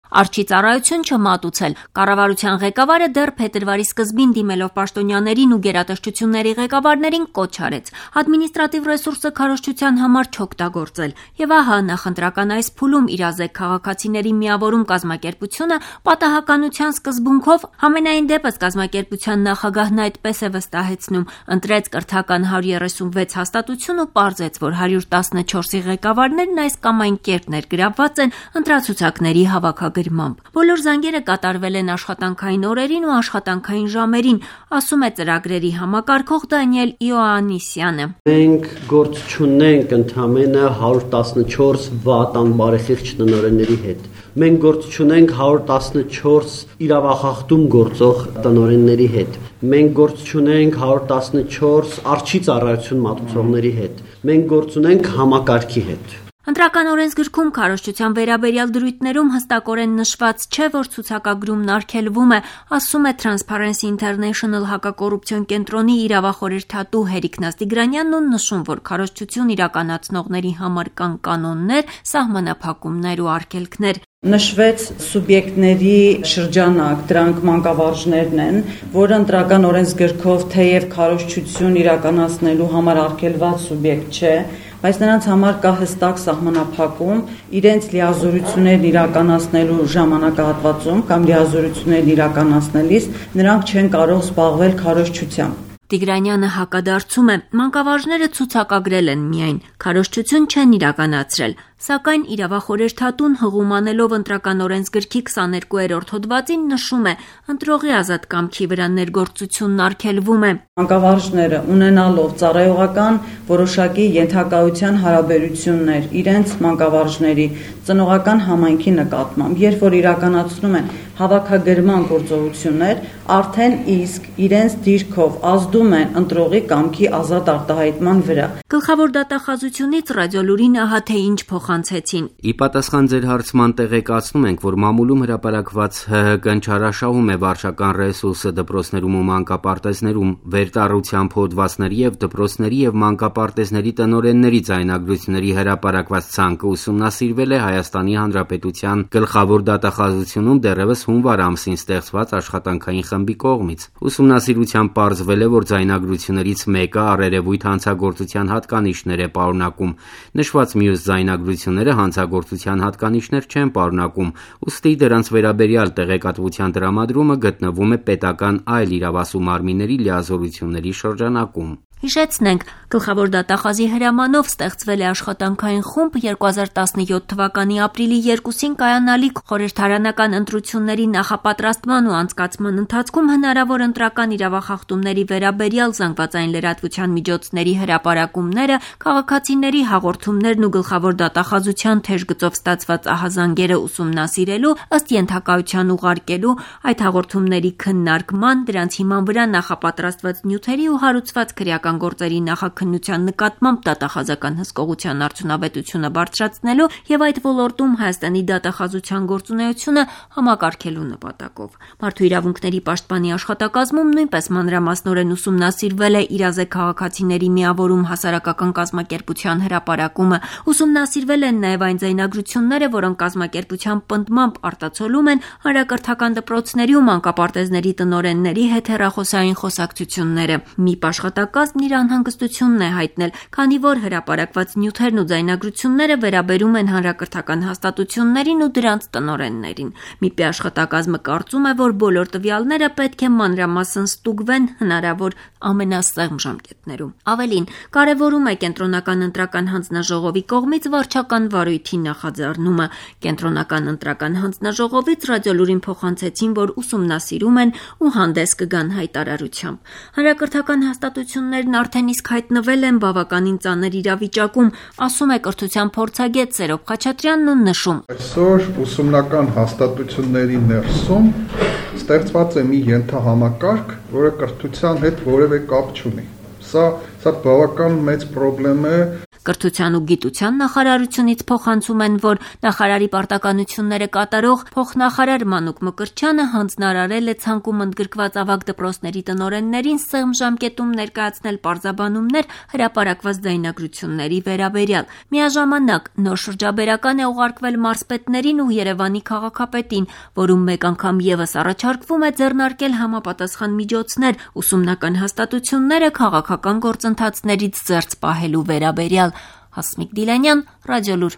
Արջի ծառայություն չմատուցել։ Կառավարության ղեկավարը դեռ փետրվարի սկզբին դիմելով պաշտոնյաներին ու գերատեսչությունների ղեկավարներին կոչ արեց ադմինիստրատիվ ռեսուրսը քարոզչության համար չօգտագործել։ Եվ ահա նախընտրական այս փուլում իրազեկ քաղաքացիների միավորում կազմակերպությունը պատահականության սկզբունքով, համենայն դեպս կազմակերպության նախագահն այդպես է վստահեցնում, ընտրեց կրթական 136 հաստատություն ու պարզեց, որ 114-ի ղեկավարներն այս կամ այն կերպ ներգրավված են ընտրացուցակների հավաքագրմամբ։ Բոլոր զանգերը կատարվել են աշխատանքային օրերին ու աշխատանքային ժամերին, ասում է ծրագրերի համակարգող Դանիել Իոաննիսյանը։ Մենք գործ չունենք ընդամենը 114 վատ անբարեխիղճ տնօրենների հետ։ Մենք գործ չունենք 114 իրավախախտում գործող տնօրենների հետ։ Մենք գործ չունենք 114 արջի ծառայություն մատուցողների հետ։ Մենք գործ ունենք համակարգի հետ։ Ընտրական օրենսգրքում քարոզչության վերաբերյալ դրույթներում հստակորեն նշված չէ, որ ցուցակագրումն արգելվում է, ասում է Transparency International հակակոռուպցիոն կենտրոնի իրավախորհրդատու Հերիկ Նաստիգրանյանն ու նշում, որ քարոզչություն իրականացնողների համար կան կանոններ, սահմանափակումներ ու արգելքներ։ Նշվեց սուբյեկտների շրջանակ, դրանք մանկավարժներն են, որը ընտրական օրենսգրքով թեև քարոզչություն իրականացնելու համար արգելված սուբյեկտ չէ, բայց նրանց համար կա հստակ սահմանափակում իրենց լիազորություններն իրականացնելու ժամանակահատվածում կամ լիազորություններն իրականացնելիս նրանք չեն կարող զբաղվել քարոզչությամբ։ Տիգրանյանը հակադարձում է, մանկավարժները ցուցակագրել են միայն, քարոզչություն չեն իրականացրել, սակայն իրավախորհրդատուն հղում անելով ընտրական օրենսգրքի 22-րդ հոդվածին նշում է, ընտրողի ազատ կամքի վրա ներգործությունն արգելվում է։ Մանկավարժները ունենալով ծառայողական որոշակի ենթակայության հարաբերություններ իրենց մանկավարժների ծնողական համայնքի նկատմամբ, երբ որ իրականացնում են հավաքագրման գործողություններ, արդեն իսկ իրենց դիրքով ազդում են ընտրողի կամքի ազատ արտահայտման վրա։ Գլխավոր դատախազությունից Ռադիոլուրին ահա թե ինչ փոխանցեցին։ Ի պատասխան ձեր հարցման տեղեկացնում ենք, որ մամուլում հրապարակված ՀՀԿ-ն չարաշահում է վարչական ռեսուրսը դպրոցներում ու մանկապարտեզներում, վերտառությամբ հոդվածների եւ դպրոցների եւ մանկապարտեզների տնօրենների ձայնագրությունների հրապարակված ցանկը ուսումնասիրվել է Հայաստանի Հանրապետության գլխավոր դատախազությունում դեռևս հունվար ամսին ստեղծված աշխատանքային խմբի կողմից։ Ուսումնասիրությամբ պարզվել է, որ ձայնագրություններից մեկը առերևույթ հանցագործության հատկանիշներ է պարունակում։ Նշված մյուս ձայնագրությունները հանցագործության հատկանիշներ չեն պարունակում, ուստի դրանց վերաբերյալ տեղեկատվության տրամադրումը գտնվում է պետական այլ իրավասու մարմինների լիազորությունների շրջանակում։ Հիշեցնենք, գլխավոր դատախազի հրամանով ստեղծվել է աշխատանքային խումբ 2017 թվականի ապրիլի 2-ին կայանալիք խորհրդարանական ընտրությունների նախապատրաստման ու անցկացման ընթացքում հնարավոր ընտրական իրավախախտումների վերաբերյալ զանգվածային լրատվության միջոցների հրապարակումները, քաղաքացիների հաղորդումներն ու գլխավոր դատախազության թեժգծով ստացված ահազանգերը ուսումնասիրելու, ըստ ենթակայության ուղարկելու, այդ հաղորդումների քննարկման, դրանց հիման վրա նախապատրաստված նյութերի ու հարուցված քրեական գործերի նախաքննության նկատմամբ դատախազական հսկողության արդյունավետությունը բարձրացնելու եւ այդ ոլորտում Հայաստանի դատախազության գործունեությունը համակարգելու նպատակով։ Մարդու իրավունքների պաշտպանի աշխատակազմում նույնպես մանրամասնորեն ուսումնասիրվել է իրազեկ քաղաքացիների միավորում հասարակական կազմակերպության հրապարակումը, ուսումնասիրվել են նաեւ այն ձայնագրությունները, որոնք կազմակերպության պնդմամբ արտացոլում են հանրակրթական դպրոցների ու մանկապարտեզների տնօրենների հետ հեռախոսային խոսակցությունները։ ՄԻՊ աշխատակազմն իր անհանգստությունն է հայտնել, քանի որ հրապարակված նյութերն ու ձայնագրությունները վերաբերում են հանրակրթական հաստատություններին ու դրանց տնօրեններին։ ՄԻՊ-ի աշխատակազմը կարծում է, որ բոլոր տվյալները պետք է մանրամասն ստուգվեն հնարավոր ամենասեղմ ժամկետներում։ Ավելին, կարևորում է կենտրոնական ընտրական հանձնաժողովի կողմից վարչական վարույթի նախաձեռնումը։ Կենտրոնական ընտրական հանձնաժողովից Ռադիոլուրին փոխանցեցին, որ ուսումնասիրում են ու հանդես կգան հայտարարությամբ։ Հանրակրթական հաստատություններն արդեն իսկ հայտնվել են բավականին ծանր իրավիճակում, ասում է կրթության փորձագետ Սերոբ Խաչատրյանն ու նշում. Այսօր ուսումնական հաստատությունների ներսում ստեղծված է մի ենթահամակարգ, որը կրթության հետ որևէ կապ չունի։ Սա բավական մեծ խնդրեմ է։ Կրթության ու գիտության նախարարությունից փոխանցում են, որ նախարարի պարտականությունները կատարող փոխնախարար Մանուկ Մկրտչյանը հանձնարարել է ցանկում ընդգրկված ավագ դպրոցների տնօրեններին սեղմ ժամկետում ներկայացնել պարզաբանումներ հրապարակված ձայնագրությունների վերաբերյալ։ Միաժամանակ նոր շրջաբերական է ուղարկվել մարզպետներին ու Երևանի քաղաքապետին, որում մեկ անգամ ևս առաջարկվում է ձեռնարկել համապատասխան միջոցներ ուսումնական հաստատությունները քաղաքական գործընթացներից զերծ պահելու վերաբերյալ։ Հասմիկ Դիլանյան, Ռադիոլուր։